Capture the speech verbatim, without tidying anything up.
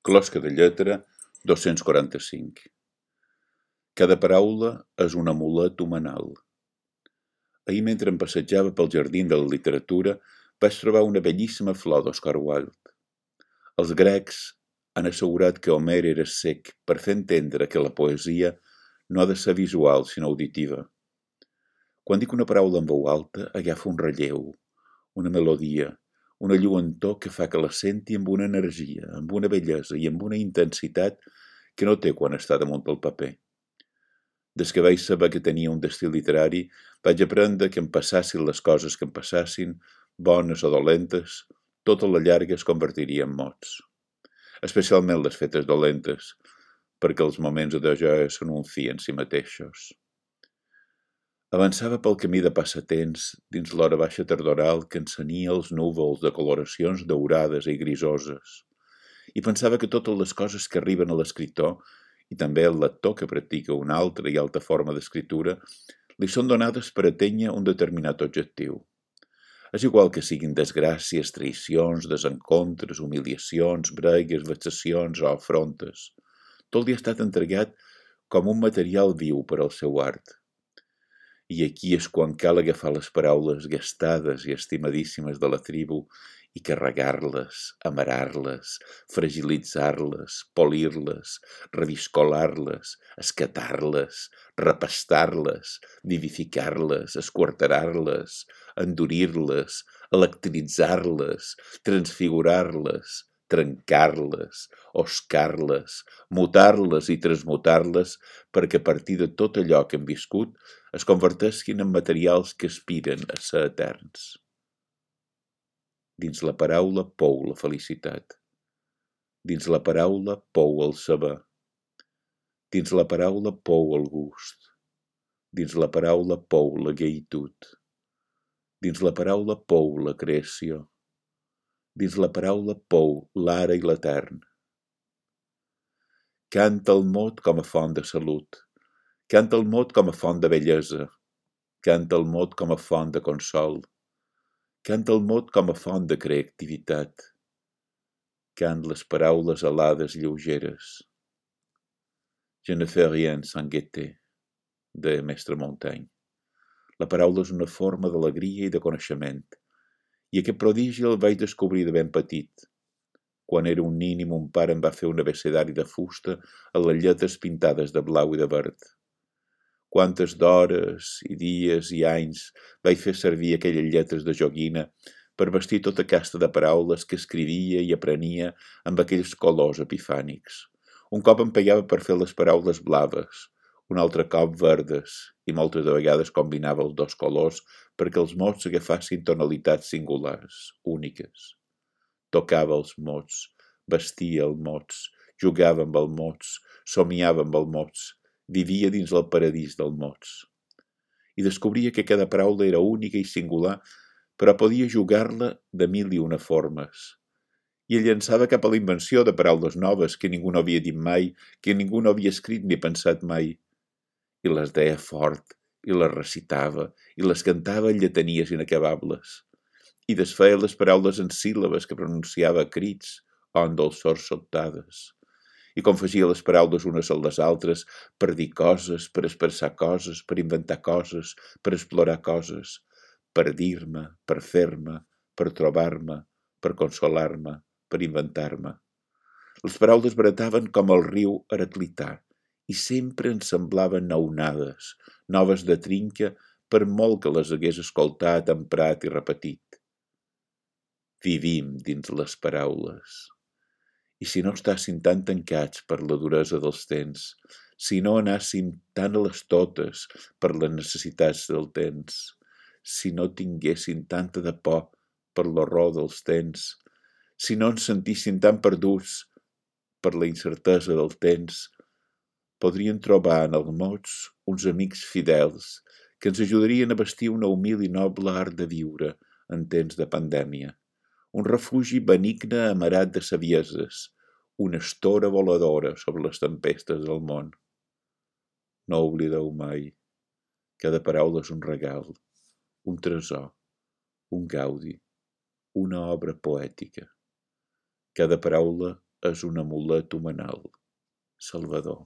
Closca de lletra dos-cents quaranta-cinc. Cada paraula és un amulet humanal. Ahir, mentre em passejava pel jardí de la literatura, vaig trobar una bellíssima flor d'Oscar Wilde. Els grecs han assegurat que Homer era cec per fer entendre que la poesia no ha de ser visual, sinó auditiva. Quan dic una paraula en veu alta, agafa un relleu, una melodia, una lluentor que fa que la senti amb una energia, amb una bellesa i amb una intensitat que no té quan està damunt del paper. Des que vaig saber que tenia un destí literari, vaig aprendre que em passassin les coses que em passassin, bones o dolentes, tota la llarga es convertiria en mots. Especialment les fetes dolentes, perquè els moments de joia són un fi en si mateixos. Avançava pel camí de passatemps dins l'hora baixa tardoral que encenia els núvols de coloracions daurades i grisoses, i pensava que totes les coses que arriben a l'escriptor, i també al lector que practica una altra i alta forma d'escriptura, li són donades per atènyer un determinat objectiu. És igual que siguin desgràcies, traïcions, desencontres, humiliacions, bregues, vexacions o afrontes. Tot li ha estat entregat com un material viu per al seu art. I aquí és quan cal agafar les paraules gastades i estimadíssimes de la tribu i carregar-les, amarar-les, fragilitzar-les, polir-les, reviscolar-les, escatar-les, repastar-les, vivificar-les, esquarterar-les, endurir-les, electritzar-les, transfigurar-les, trencar-les, oscar-les, mutar-les i transmutar-les perquè a partir de tot allò que hem viscut es converteixin en materials que aspiren a ser eterns. Dins la paraula pou la felicitat. Dins la paraula pou el saber. Dins la paraula pou el gust. Dins la paraula pou la gaitud. Dins la paraula pou la creació. Dins la paraula pou l'ara i l'etern. Canta el mot com a font de salut. Canta el mot com a font de bellesa. Canta el mot com a font de consol. Canta el mot com a font de creativitat. Cant les paraules alades lleugeres. Je ne fais rien sans gaieté, de Mestre Montaigne. La paraula és una forma d'alegria i de coneixement. I aquest prodigi el vaig descobrir de ben petit. Quan era un nin i mon pare em va fer un abecedari de fusta a les lletres pintades de blau i de verd. Quantes d'hores i dies i anys vaig fer servir aquelles lletres de joguina per vestir tota casta de paraules que escrivia i aprenia amb aquells colors epifànics. Un cop em pegava per fer les paraules blaves, un altre cop verdes, i moltes de vegades combinava els dos colors perquè els mots agafassin tonalitats singulars, úniques. Tocava els mots, vestia els mots, jugava amb els mots, somiava amb els mots, vivia dins el paradís dels mots. I descobria que cada paraula era única i singular, però podia jugar-la de mil i una formes. I el llançava cap a la invenció de paraules noves que ningú no havia dit mai, que ningú no havia escrit ni pensat mai. I les deia fort, i les recitava, i les cantava en lletanies inacabables. I desfeia les paraules en síl·labes que pronunciava a crits o en dolçors sobtades. I confegia les paraules unes a les altres per dir coses, per expressar coses, per inventar coses, per explorar coses, per dir-me, per fer-me, per trobar-me, per consolar-me, per inventar-me. Les paraules brataven com el riu Heraclità i sempre ens semblaven nounades, noves de trinca per molt que les hagués escoltat, emprat i repetit. Vivim dins les paraules. I si no estàssim tan tancats per la duresa dels temps, si no anàssim tan a les totes per les necessitats del temps, si no tinguéssim tanta de por per l'horror dels temps, si no ens sentíssim tan perduts per la incertesa del temps, podríem trobar en els mots uns amics fidels que ens ajudarien a vestir una humil i noble art de viure en temps de pandèmia. Un refugi benigne amarat de savieses, una estora voladora sobre les tempestes del món. No oblideu mai, cada paraula és un regal, un tresor, un gaudi, una obra poètica. Cada paraula és un amulet humanal. Salvador.